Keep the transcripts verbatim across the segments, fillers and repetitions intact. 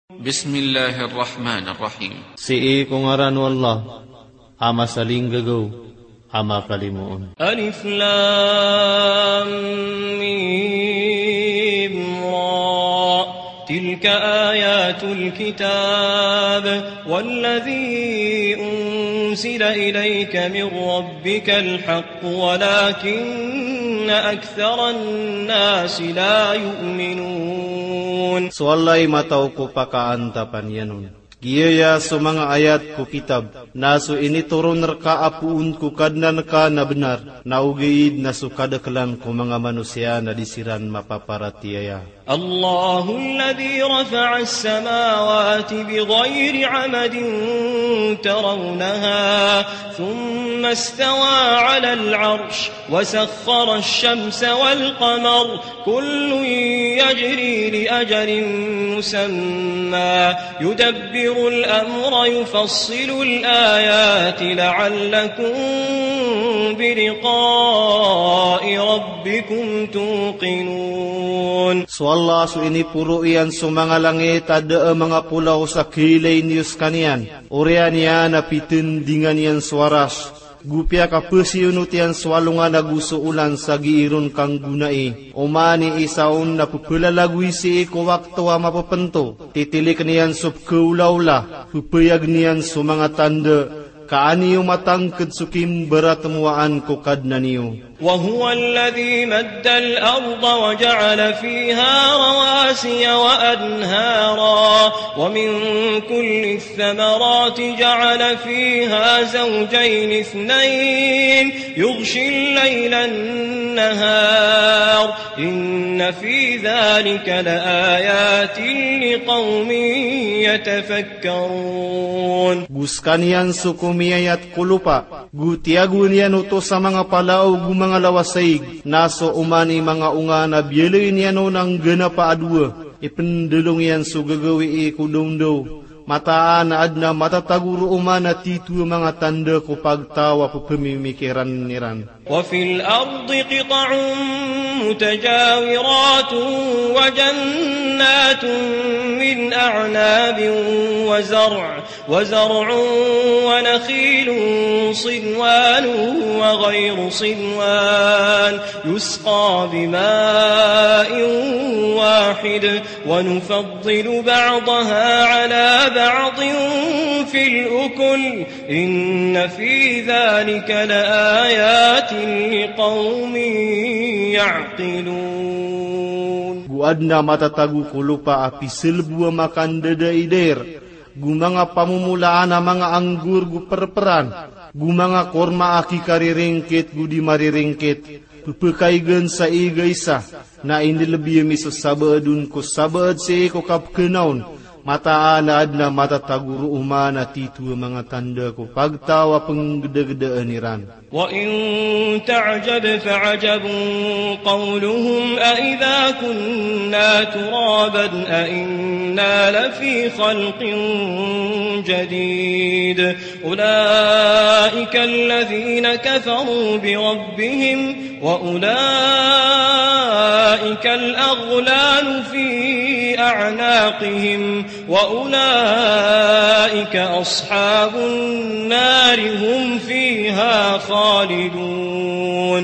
Bismillahir Rahmanir Rahim. Sii ko ngaran o Allah, a masalinggagaw, a makalimoon. Alif Lam Mim Ra. Tilka ayatul kitab, walladhi unsila ilayka min rabbikal haqq, walakinna aktharan nasi la yu'minun. So Allah i mataw ko pakaantapan iyan on. Giyaya so manga ayat ko kitab, na so initoron rka a poon ko Kadnan ka na bnar, na ogaid na so kadaklan ko manga manosiya na di siran mapaparatiyaya. Allahu alladhi rafa'as samawati bighayri amadin tarawnaha, thumma istawa 'alal 'arsh, wa sakhkharash shamsa wal qamar, kullun yajri li ajalin musamma, yudabbirul amra, yufassilul ayati la'allakum bi liqa'i rabbikum tuqinun. So Allah so iniporo iyan so manga langit a da a manga polaw sa khailay niyo skaniyan. Oriyan iyan a pitindingan iyan so Arash. Go piyakapasiyonot iyan so alongan ago so olan sa gii ron kanggonai. Oman i isa on na pepelalagoy sii ko wakto a mapepento. Titilikn iyan so pekaolaola, pepayagn iyan so manga tanda, ka an iyo matangked so kimbaratmowaan ko Kadnan iyo. Wa huwa alladhi maddal arda wa ja'ala fiha rawasiya wa anhara, wa min kulli الثمرات جعل فيها زوجين اثنين يغشي الليل النهار إن في ذلك لآيات لقوم يتفكرون. Go skaniyan so komiyayat ko lopa, go tiyagoan iyan oto sa manga palao go manga lawasaig, na so oman i manga onga na biyaloy niyan on a ngganapa a dowa. Ipendolong iyan so gagawii ko dawndaw. Mataan a adn a matatago roo man a titho a manga tanda ko pagtaw a pepemimikiran iran. وفي الأرض قطع متجاورات وجنات من أعناب وزرع وزرع ونخيل صنوان وغير صنوان يسقى بماء واحد ونفضل بعضها على بعض في الأكل إن في ذلك لآيات لقوم يعقلون. Go adn a matatago ko lopa a piselbo a makandadaidair, go manga pamomolaan a manga anggur go perperan, go manga korma a kikariringkit go di mariringkit, pepekaigen sa igaisa, na inilebiyem i so sabaad on ko sabaad sii ko kapekena on, mataan a adn a matatago roo man a titho a manga tanda ko pagtaw a penggedagedaan iran. وإن تعجب فعجب قولهم أإذا كنا ترابا أإنا لفي خلق جديد أولئك الذين كفروا بربهم وأولئك الأغلال في أعناقهم وأولئك أصحاب النار هم فيها خالدون.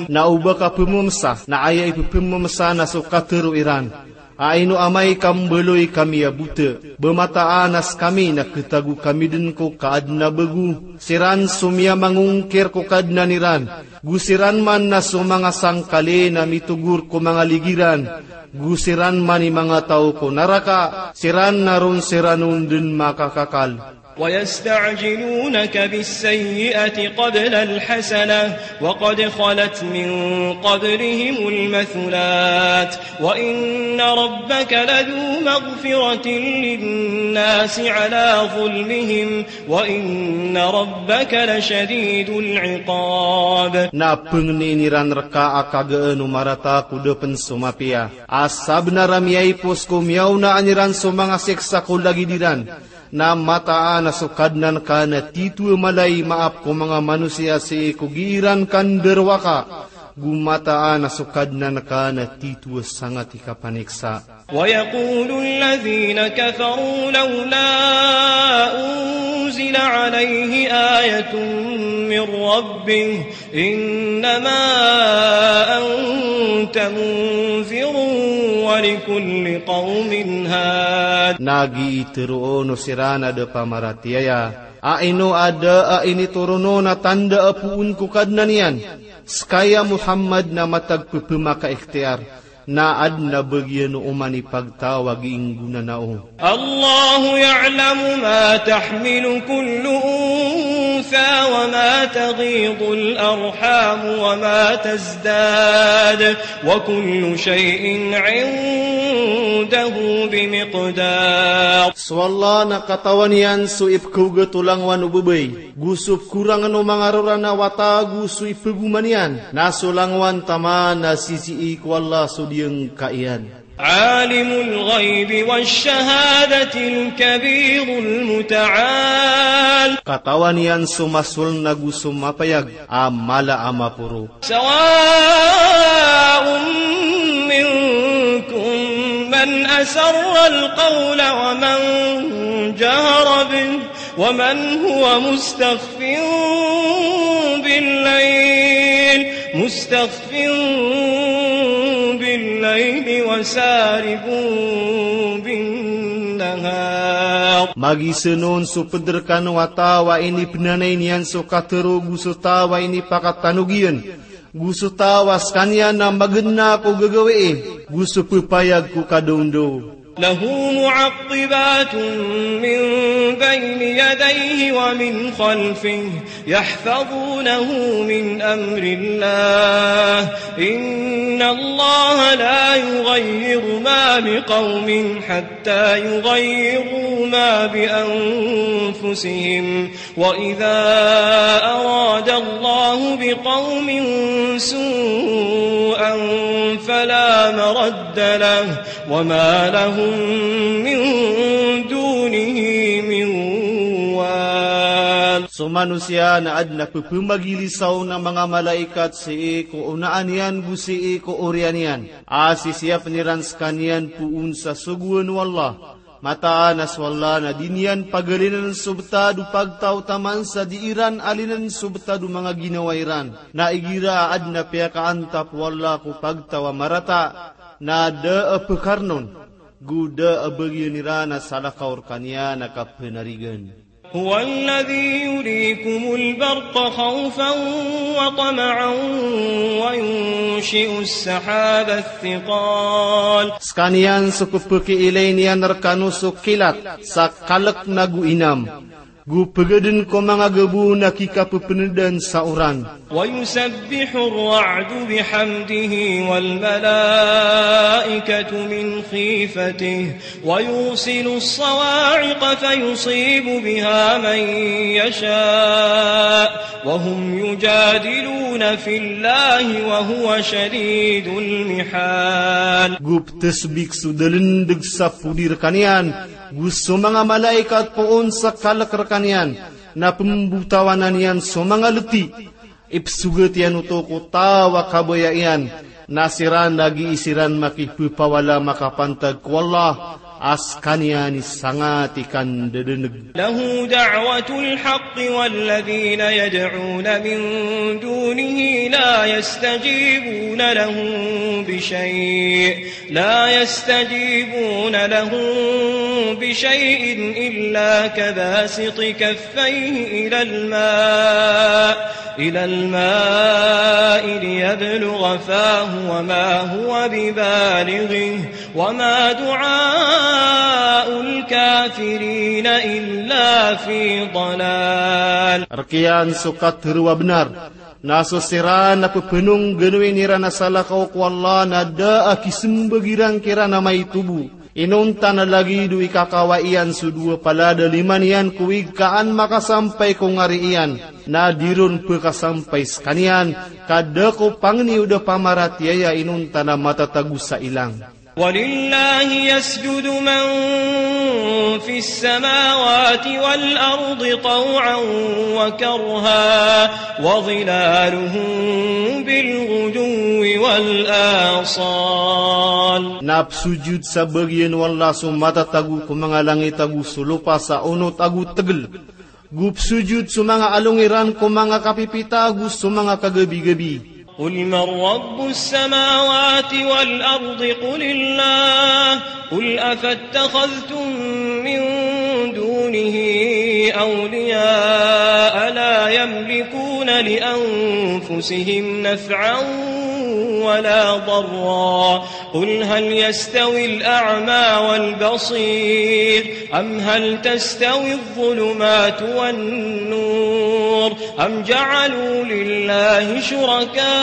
Na o ba ka pememesa, na aya ipepememesa na so katero iran. A ino amay ka mbaloy kami a bota, ba mataan a sekami na ketago kami den ko kaadn a bego. Siran so miyamangongkir ko Kadnan iran. Go siran man na so manga sangkali na mitogor ko manga ligiran. Go siran man i manga taw ko naraka, siran na ron siran on den makakakal. ويستعجلونك بالسيئة قبل الحسنة وقد خلت من قبلهم المثلات وإن ربك لذو مغفرة للناس على ظلمهم وإن ربك لشديد العقاب. Na pengnin iran reka a kagaan o marata ko da pen so mapiya. A sabenar a miyaipos ko miyaonaan iran so manga siksa ko lagid iran. Na mataan a so Kadnan ka na titho a mala i maap ko manga manosiya sii ko gii ran kandarowaka. Go mataan a so Kadnan ka na titho a sangat i kapaniksa. ويقول الذين كفروا لولا أنزل عليه آية من ربه إنما أنت منذر ولكل قوم هاد. Na giya tharoon o siran a da pamaratiyaya a ino a da a initoron on a tanda a poon ko Kadnan iyan. Ska ya Muhammad na matag pphmakaikhtiyar, na adn a bagiyan o oman i pagtaw a gii nggonanao. الله يعلم ما تحمل كل أنثى وما تغيض الأرحام وما تزداد وكل شيء عنده بمقدار. So Allah na katawan iyan so ipkhaogat o langowan o babay, go so pkorangn o manga rora na wata, go so iphagoman iyan. Na so langowan taman na sisii ko Allah so diyangka iyan. عالم الغيب والشهادة الكبير المتعال. Katawan iyan so masoln ago so mapayag a mala a maporo. سواء منكم من أسر القول ومن جهر به ومن هو مستخف بالليل، مستخف بالليل وسارب بالنهار. Magisn on so pd rkano a taw a inipnanay niyan so katharo go so taw a inipakatanog iyan, go so taw a skaniyan na magna ko gagawii, go so ppayag ko kadawndaw. له معقبات من بين يديه ومن خلفه يحفظونه من أمر الله، إن الله لا يغير ما بقوم حتى يغيروا ما بأنفسهم، وإذا أراد الله بقوم سوءا فلا مرد له وما لهم من دونه من وال. So manosiya na adn a pphamagilisaw o manga malaikat sii ko onaan iyan go sii ko oriyan iyan, a sisiyapn iran skaniyan poon sa sogoan o Allah. Mataan a so Allah na di niyan pagalinan so btad o pagtaw taman sa di iran alinan so btad o manga ginawa iran. Na igira a adn a piyakaantap o Allah ko pagtaw a marata, na da a pkarn on, go da a bagiyan iran a salakaw rkaniyan a kapnarigan. هو الذي يريكم البرق خوفا وطمعا وينشئ السحاب الثقال. Skaniyan so pphakiilay niyan rkano so kilat sa kalk nago inam, go pgadn ko manga gabo na kikappndan sa oran. ويسبح الرعد بحمده والملائكة من خيفته ويرسل الصواعق فيصيب بها من يشاء وهم يجادلون في الله وهو شديد المحال. Go ptsbik so dalndg sa podi rkaniyan, go so manga malaikat poon sa kalk rkaniyan, na pmbotawanan iyan so manga lti. Ipsogat iyan oto ko taw a kabaya iyan, na siran na gii siran makipphawala makapantag ko Allah, a skaniyan i sangat i kandadaneg. له دعوة الحق والذين يدعون من دونه لا يستجيبون لهم بشيء لا يستجيبون لهم بشيء إلا كباسط كفيه إلى الماء، إلى الماء ليبلغ فاه وما هو ببالغه وما دعاء الكافرين إلا في ضلال. Rk iyan so katharo a bnar. Na so siran na pphanongganoin iran a salakaw ko Allah na da a kismbag iran kiran a maito bo. Inonta na lagid o ikakawai iyan so dowa palad a lima niyan ko ig ka an makasampay ko ngari iyan, na di ron pkasampay skaniyan, ka da ko pangni o da pamaratiyaya inonta na matatago sa ilang. ولله يسجد من في السماوات والأرض طوعا وكرها وظلالهم بالغدو والآصال. Na psojud sa bagian o Allah so matatago ko manga langit ago so lopa sa onot ago tegel. Go psojud so manga along iran ko manga kapipita ago so manga kagabigabi. قل من رب السماوات والأرض قل الله، قل أفاتخذتم من دونه أولياء لا يملكون لأنفسهم نفعا ولا ضرا، قل هل يستوي الأعمى والبصير أم هل تستوي الظلمات والنور أم جعلوا لله شركاء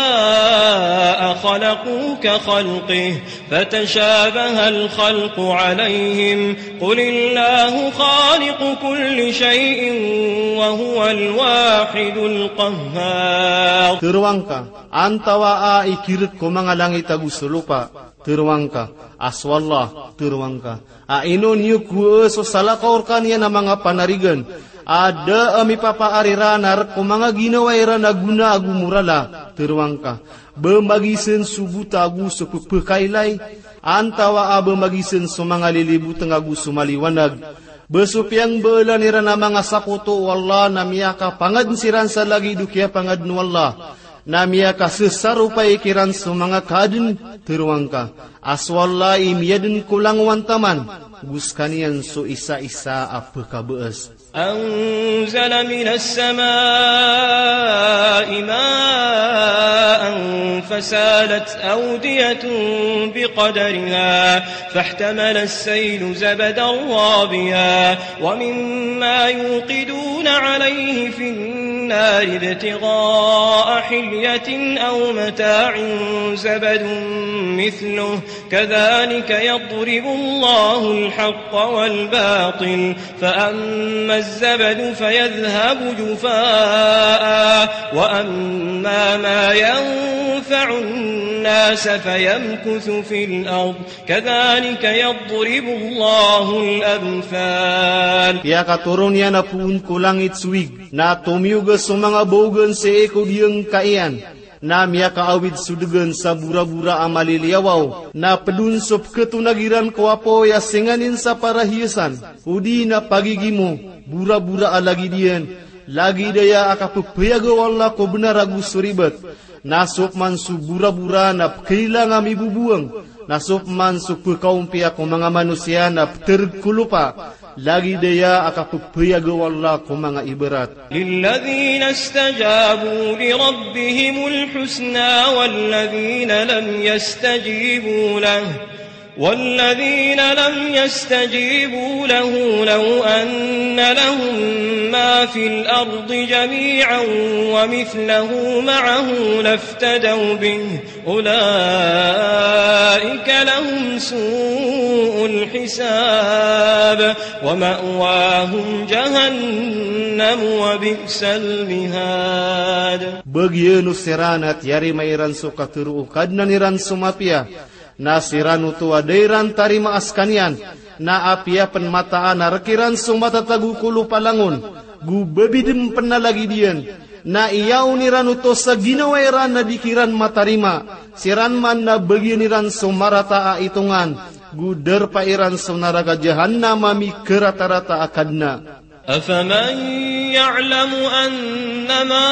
خلقوا كخلقه فتشابه الخلق عليهم، قل الله خالق كل شيء وهو الواحد القهار. Teroang ka, antawaa i kirek ko manga langit ago so lopa? Teroang ka a so Allah. Teroang ka a ino niyo kowaa so salakaw rekaniyan a manga panarigan a da a mipapaar iran a rek ko manga ginawa iran a gona ago morala? Teroang ka, ba magisen so bota ago so pepekailay, antawaa ba magisen so manga liliboteng ago so maliwanag? Ba so piyangbaelan iran a manga sakoto o Allah na miyakapangaden siran sa lagid o kiyapangaden o Allah, na miyakasesaropay kiran so manga kaaden? Teroang ka a so Allah i miyaden ko langowan taman, go sekaniyan so isaisa a pekabaas. أنزل من السماء ماء فسالت أودية بقدرها فاحتمل السيل زبدا رابيا ومما يوقدون عليه في النار ابتغاء حلية أو متاع زبد مثله كذلك يضرب الله الحق والباطل فأما الزبد فيذهب جفاء وأما ما ينفع الناس فيمكث في الأرض كذلك يضرب الله الأمثال. Piyakatoron iyan a poon ko langit so wig, na tomiyoga so manga baogan sii ko diyangka iyan, na miyakaawid so degan sa borabora a maliliyawaw, na pedon so peketonag iran ko apoy a singanin sa parahiyasan, odi na pagigimo, borabora a lagid iyan, lagid aya a kapepeyaga o Allah ko benar ago so ribat. Na so peman so borabora na pekailang a miboboang, na so peman so pekaompiya ko manga manosiya na petereg ko lopa, lagid aya a kapepeyaga o Allah ko manga ibarat. للذين استجابوا لربهم الحسنى والذين لم يستجيبوا له والذين لم يستجيبوا له لو أن لهم ما في الأرض جميعا ومثله معه لافتدوا به أولئك لهم سوء الحساب ومأواهم جهنم وبئس المهاد. Bagian o siran a tiyarima iran so katero o Kadnan iran so mapiya, na siran oto a da iran tarima a sekaniyan, na apiya pen mataan a rek iran so matatago ko lopa langon, go babidem pen a lagid iyan, na iyaon iran oto sa ginawa iran a di kiran matarima, siran man na bagian iran so marata a itongan, go darpa iran so naraka Jahannam a mikaratarata a kadna. أفمن يعلم أنما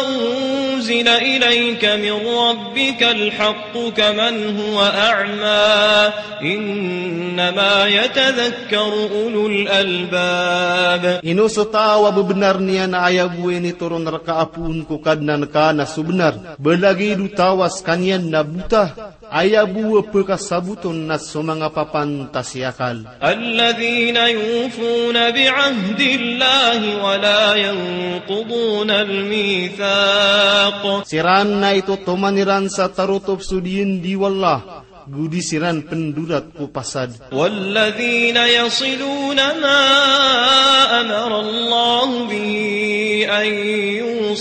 أنزل إليك من ربك الحق كمن هو أعمى إنما يتذكر أولو الألباب. Ino so taw a bebenar niyan a aya bo a initoron reka a poon ko Kadnan ka na so benar, ba lagid o taw a sekaniyan na bota, aya bo a pekasaboton na so manga papantas i akal. الذين يوفون بعهد الله ولا ينقضون الميثاق. Siran na itotoman iran sa tarotop so diyendi o Allah, go di siran pendorat ko pasad. والذين يصلون ما أمر الله به أن يوصل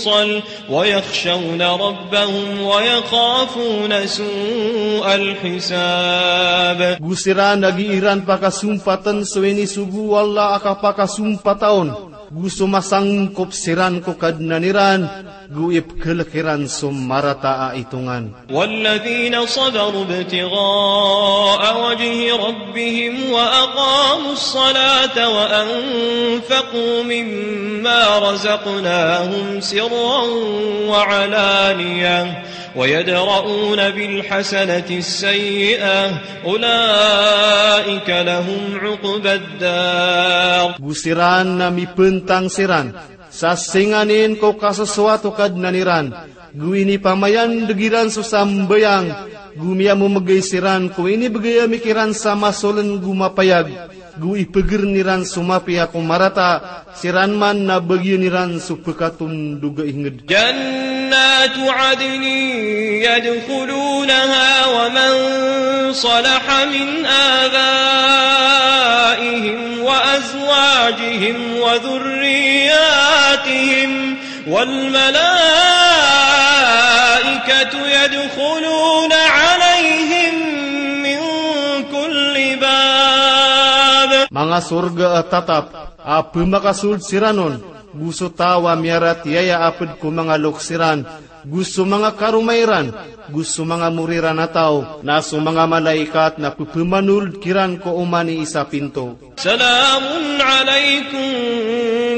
ويخشون ربهم ويخافون سوء الحساب. Go siran a gii ran pakasompatn so inisogo o Allah a kapakasompata on, go so masangkop siran ko Kadnan iran, go ipkhlk iran so marata a itongan. والذين صبروا ابتغاء وجه ربهم وأقاموا الصلاة وأنفقوا مما رزقناهم سرا وعلانية ويدرءون بالحسنة السيئة أولئك لهم عقبى الدار. Go siran na mipntang siran sa singanin ko kasosoat o Kadnan iran, go inipamayandg iran so sambayang, go miyamomgay siran ko inibgay ami kiran sa masoln go mapayag, go ipgrn iran so mapiya ko marata, siran man na bagian iran so pkatondog a ingd. جنات عدن يدخلونها ومن صلح من آبائهم وأزواجهم وذرياتهم والملائكة يدخلون عليهم من كل باب. Manga sorga a tatap a pmakasold siran on, go so taw a miyaratiyaya a pd ko manga loks iran, go so manga karoma iran, go so manga mori ran a taw, na so manga malaikat na pphamanold kiran ko oman i isa pinto. سلام عليكم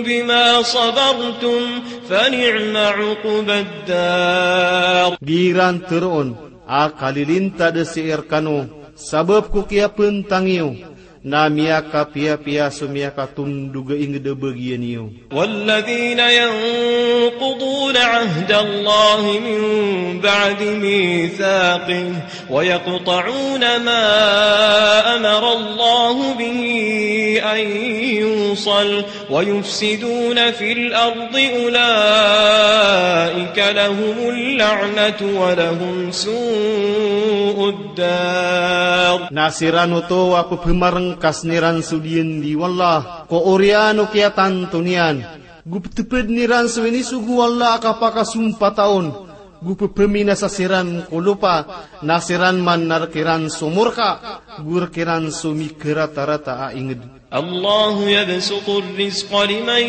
بما صبرتم فنعم عقبى الدار. Gii ran tharoon a kalilintad sii rkano sabap ko kiyapntang iyo, na miyakapiyapiya so miyakatondog a ingd a bagian iyo. والذين ينقضون عهد الله من بعد ميثاقه ويقطعون ما أمر الله به أن يوصل ويفسدون في الأرض أولئك لهم اللعنة ولهم سوء الدار. Na siran oto a pphamarngkas iran so diyandi o Allah ko oriyan o kiyatanto niyan, go ptpdn iran so inisogo o Allah a kapakasompata on, go pphaminasa siran ko lopa, na siran man na rk iran so morka, go rk iran so mikaratarata a ingd. الله يبسط الرزق لمن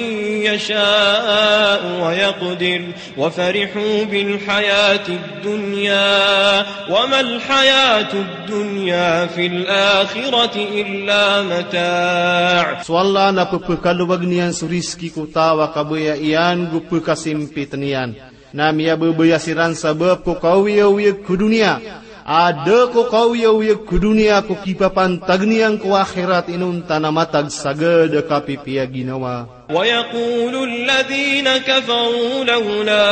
يشاء ويقدر وفرحوا بالحياة الدنيا وما الحياة الدنيا في الآخرة إلا متاع. So Allah na pphakalobagn iyan so rizki ko taw a kabaya iyan go pkhasimpitn iyan. Na miyababaya siran sabap ko kaoyaoyag ko doniya. A da ko kaoyaoyag ko doniya ko kipapantag niyan ko akhirat inonta na matag sagad a kapipiya ginawa. ويقول الذين كفروا لولا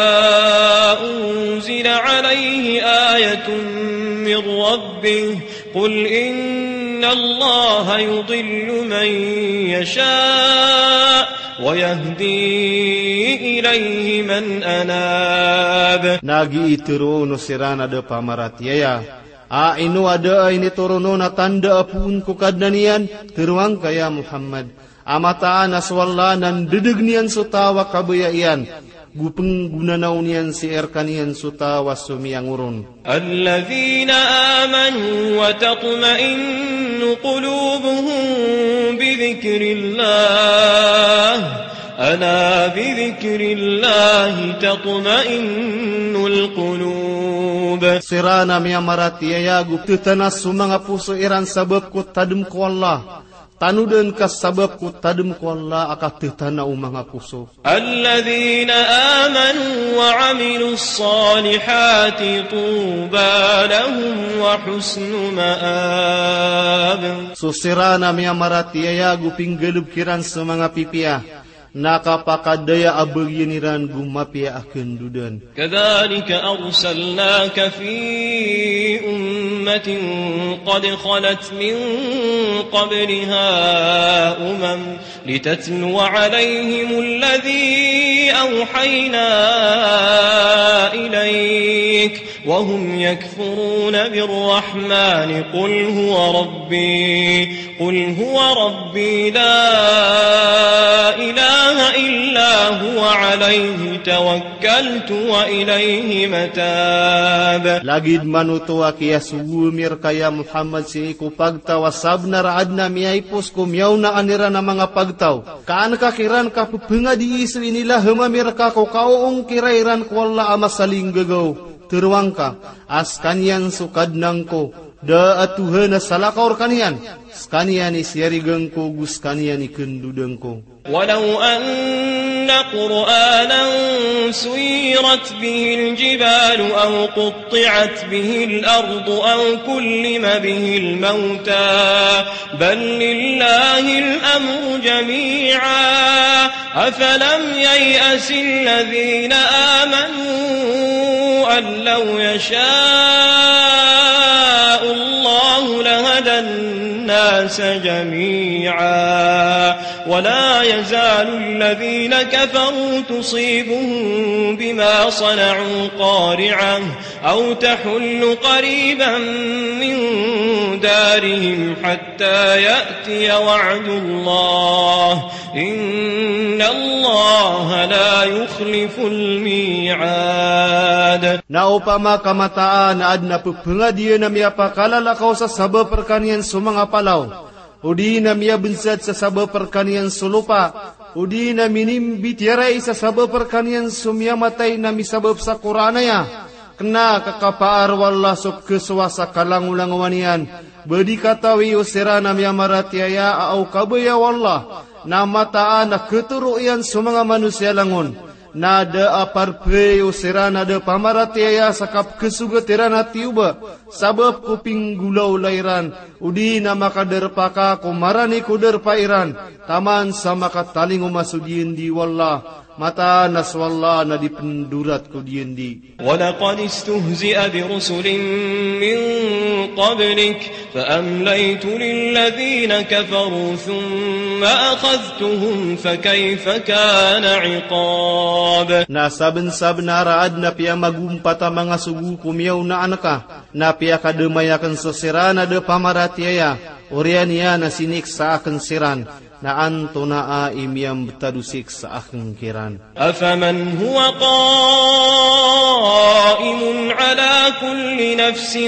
أنزل عليه آية من ربه قل إن الله يضل من يشاء ويهدي إليه من أناب. Na gii tharoon o siran a da pamaratiyaya a ino a da a initoron on a tanda a poon ko Kadnan iyan, tharoa ngka ya Muhammad, a mataan a so Allah na ndadagn iyan so taw a kabaya iyan, go pnggonanaw niyan sii rkaniyan so taw a so miyangoron. الذين آمنوا وتطمئن قلوبهم بذكر الله ألا بذكر الله تطمئن القلوب. Siran a miyamaratiyaya go pthanas so manga poso iran sabap ko tadm ko Allah. Tanodan ka sabap ko tadm ko Allah a kathatana o manga poso. الذين آمنوا وعملوا الصالحات طوبى لهم وحسن مآب. So siran a miyamaratiyaya go pinggalbk iran so manga pipiya, na kapakadaya a bagian iran go mapiya a kandodan. كذلك أرسلناك في أمة قد خلت من قبلها أمم لتتلو عليهم الذي أوحينا إليك وهم يكفرون بالرحمن قل هو ربي قل هو ربي لا إله إلا هو عليه توكلت وإليه متاب. Lagid manoto a kiyasogo ami rka ya Muhammad sii ko pagtaw a sabnar a adn a miyaipos ko miyaonaan iran a manga pagtaw. Ka an ka kiran kapephangadii so inilaham ami rka ko kaoongkira iran ko Allah a masalinggagaw. Teroang ka a skaniyan so Kadnan ko, da a Tohan a salakaw rkaniyan, skaniyan i siyarigan ko go skaniyan i kandodn ko. ولو أن قرآنا سيرت به الجبال أو قطعت به الأرض أو كلم به الموتى بل لله الأمر جميعا أفلم ييأس الذين آمنوا أن لو يشاء الله لهدى الناس جميعا ولا يزال الذين كفروا تصيبهم بما صنعوا قارعة أو تحل قريبا من دارهم حتى يأتي وعد الله إن الله لا يخلف الميعاد. Na opama ka mataan a adn a pephangadiyaan a miyapakalalakaw sa sabap rkaniyan so manga palaw, odi na miyabnsad sa sabap rkaniyan so lopa, odi na minimbitiyarai sa sabap rkaniyan so miyamatay na misabap sa Qur'an aya, kna ka kapaar o Allah so pkhasowa sa kalangolangowan iyan, ba di katawi o siran a miyamaratiyaya a o kabaya o Allah, na mataan a khatoro iyan so manga manosiya langon. Na da a parpay o siran a da pamaratiyaya sa kapkhasogat iran a tiyoba, sabap ko pinggolawla iran, odi na makadarpa ka ko marani ko darpa iran, taman sa makatalingoma so diyandi o Allah, mataan a so Allah na di pndorat ko diyandi. ولقد استهزئ برسل من قبلك فأمليت للذين كفروا ثم أخذتهم فكيف كان عقاب. Na sabnsabnar a adn a piyamagompat a manga sogo ko miyaonaan ka, na piyakadamay akn so siran a da pamaratiyaya, oriyan iyan a siniksa akn siran, na antonaa i miyambtad o siksa akn kiran. أفمن هو قائم على كل نفس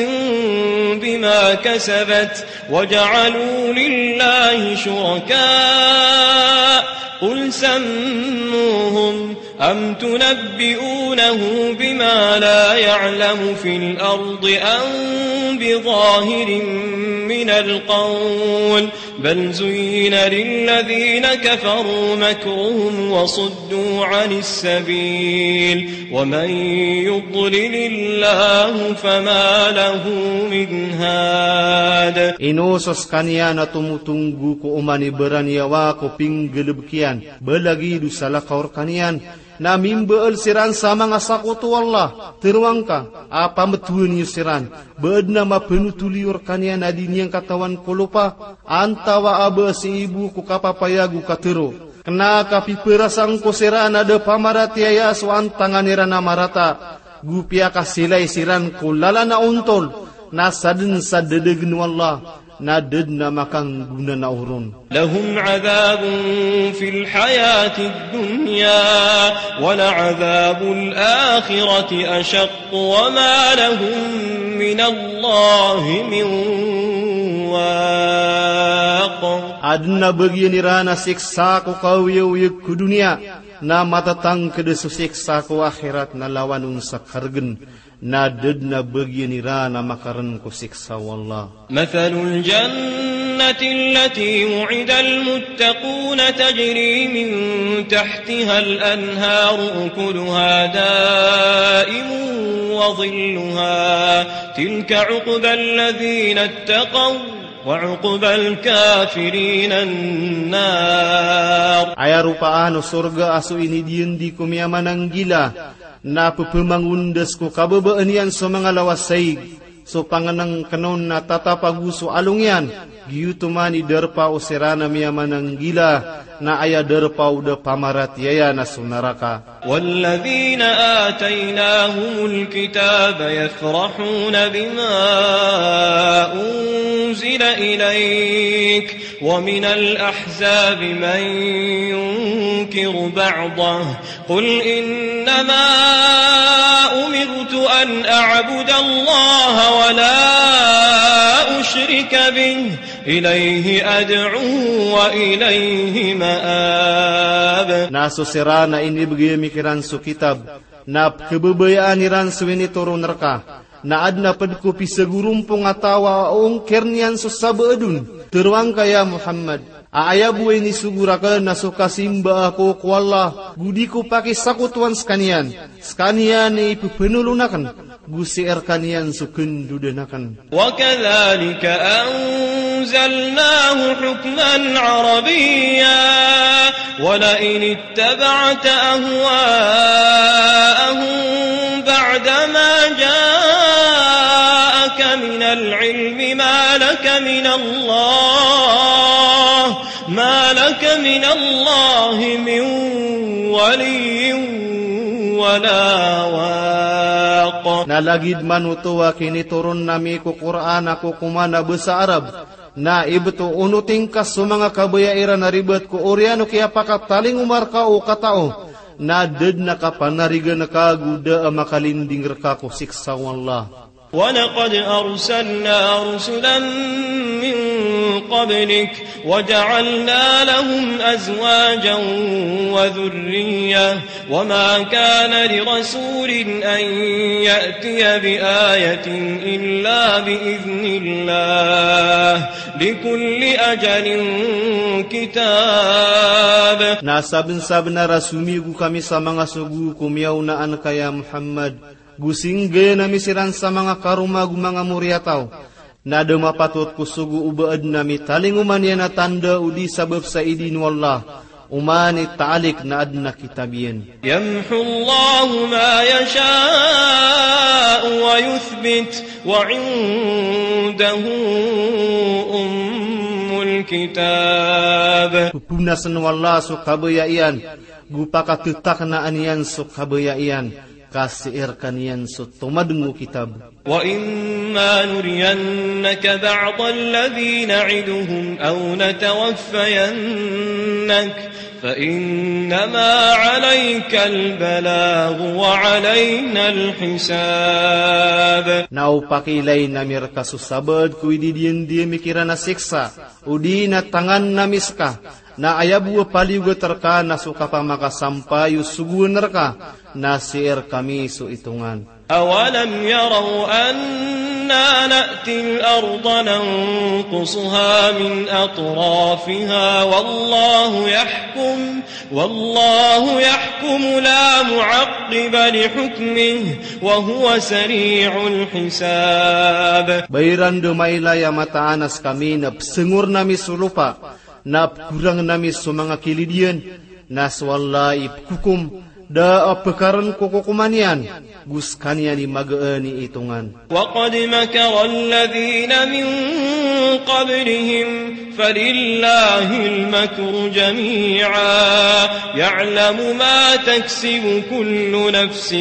بما كسبت وجعلوا لله شركاء قل سموهم أم تنبئونه بما لا يعلم في الأرض أم بظاهر من القول بل زين للذين كفروا مكرهم وصدوا عن السبيل ومن يضلل الله فما له من هاد. Ino so skaniyan a tomotonggo ko oman i baraniyawa ko pinggalbk iyan, ba lagid o salakaw rkaniyan, na mimbaal siran sa manga sakoto o Allah, teroang ka, a pamtowan iyo siran, ba adn a mapanotol iyo rkaniyan a di niyan katawan ko lopa, antawaa ba sii bo ko kapapayag o katero. Kna ka piperasang ko siran a da pamaratiyaya so antangan iran a marata, go piyakasilay siran ko lalan a ontol, na sadn sa dadagn o Allah, na da dn a makanggona na oron. لهم عذاب في الحياة الدنيا ولعذاب الآخرة أشق وما لهم من الله من واق. Adn a bagian iran a siksa ko kaoyagoyag ko doniya, na matatangkd so siksa ko akhirat na lawan on sa kargn. Na da dn a bagian iran a makarn ko siksa o Allah. مثل الجنة التي وعد المتقون تجري من تحتها الأنهار أكلها دائم وظلها تلك عقبى الذين اتقوا وعقبى الكافرين النار. Aya ropaan o sorga a so inidiyandi ko miyamananggila, na pephamangondas ko kababaan iyan so manga lawas saig, so pangnngkn on na tatap ago so along iyan, Giyoto man i darpa o siran a miyamananggila, na aya darpa o da pamaratiyaya na so naraka. والذين آتيناهم الكتاب يفرحون بما أنزل إليك ومن الأحزاب من ينكر بعضه قل إنما أمرت أن أعبد الله ولا أشرك به إليه أدعو وإليه مآب. Na so siran a inibgay ami kiran so kitab, na pkhababayaan iran so initoron rka, na adn a pd ko pisagorompong a taw a ongkir iyan so sabaad on. Tharoang ka ya Muhammad, a aya bo a inisogo rakn na so kasimba ako ko Allah, go di ko pakisakotowan skaniyan. Skaniyan i pphanolon akn, go sii rkaniyan so khandodan akn. وكذلك أنزلناه حكما عربيا ولئن اتبعت أهواءهم بعدما جاءك من العلم ما لك من الله ما لك من الله من ولي ولا واق. Na lagid man oto a kinitoron ami ko Qur'an a kokoman a basa Arab, na ibto on o tingka so manga kabaya iran a ribat ko oriyan o kiyapakatalingoma rka o katao, na da dn a kapanarigan ka go da a makalinding rka ko siksa o Allah. ولقد أرسلنا رسلا من قبلك وجعلنا لهم أزواجا وذرية وما كان لرسول أن يأتي بآية إلا بإذن الله لكل أجل كتاب. Na sabnsabnar a somiyogo kami sa manga sogo ko miyaonaan ka ya Muhammad, go singgay ami siran sa manga karoma go manga moriyataw. Na da mapatot ko sogo o ba adn a mitalingoma niyan a tanda o di sabap sa idin o Allah, oman i taalik na adn a kitab iyan. يمحو الله ما يشاء ويثبت وعنده أم الكتاب. Pphonasn o Allah so kabaya iyan, go pakattaknaan iyan so kabaya iyan, ka sii rkaniyan so tomadng o kitab. وإما نرينك بعض الذي نعدهم أو نتوفينك فإنما عليك البلاغ وعلينا الحساب. Na o pakiilayn ami rka so sabaad ko ididiyan di ami kiran a siksa, o di na tangan ami ska, na aya bo a paliyogat rka na so kapamakasampay o sogoan rka, na sii rkami so itongan. أولم يروا أنا نأتي الأرض ننقصها من أطرافها والله يحكم، والله يحكم لا معقب لحكمه، وهو سريع الحساب. Ba iran dn mailay a mataan a skami na psngorn ami so lopa, na pkorangn ami so manga kilid iyan, na so Allah i pkhokom, da a pkarn ko kokoman iyan, go skaniyan i magaan i itongan. وقد مكر الذين من قبلهم فلله المكر جميعا يعلم ما تكسب كل نفس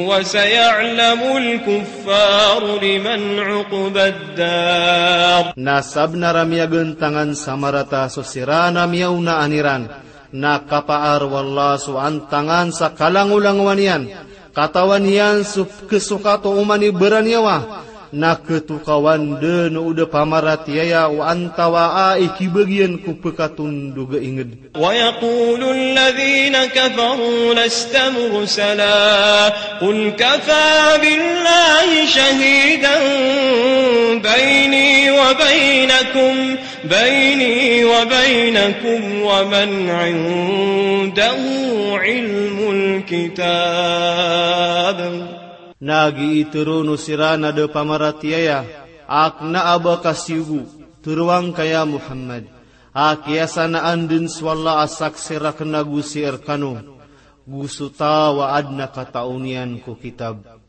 وسيعلم الكفار لمن عقبى الدار. Na sabnar a miyagantangan sa marata so siran a miyaonaan iran, na kapaar o Allah so antangan sa kalangolangowan iyan, katawan iyan so pkhasokat o oman i baraniyawa, na khatokawan dn o da pamaratiyaya o antawaa i khibagian ko pkhatondog a ingd. ويقول الذين كفروا لست مرسلا قل كفى بالله شهيدا بيني وبينكم بيني وبينكم ومن عنده علم الكتاب. Na giya i tharoon o siran a da pamaratiyaya a kna a ba ka siyogo, tharoang ka ya Muhammad, a kiyasanaan dn so Allah a saksi rakn ago sii rkano, go so taw a adn a kataw niyan ko kitab.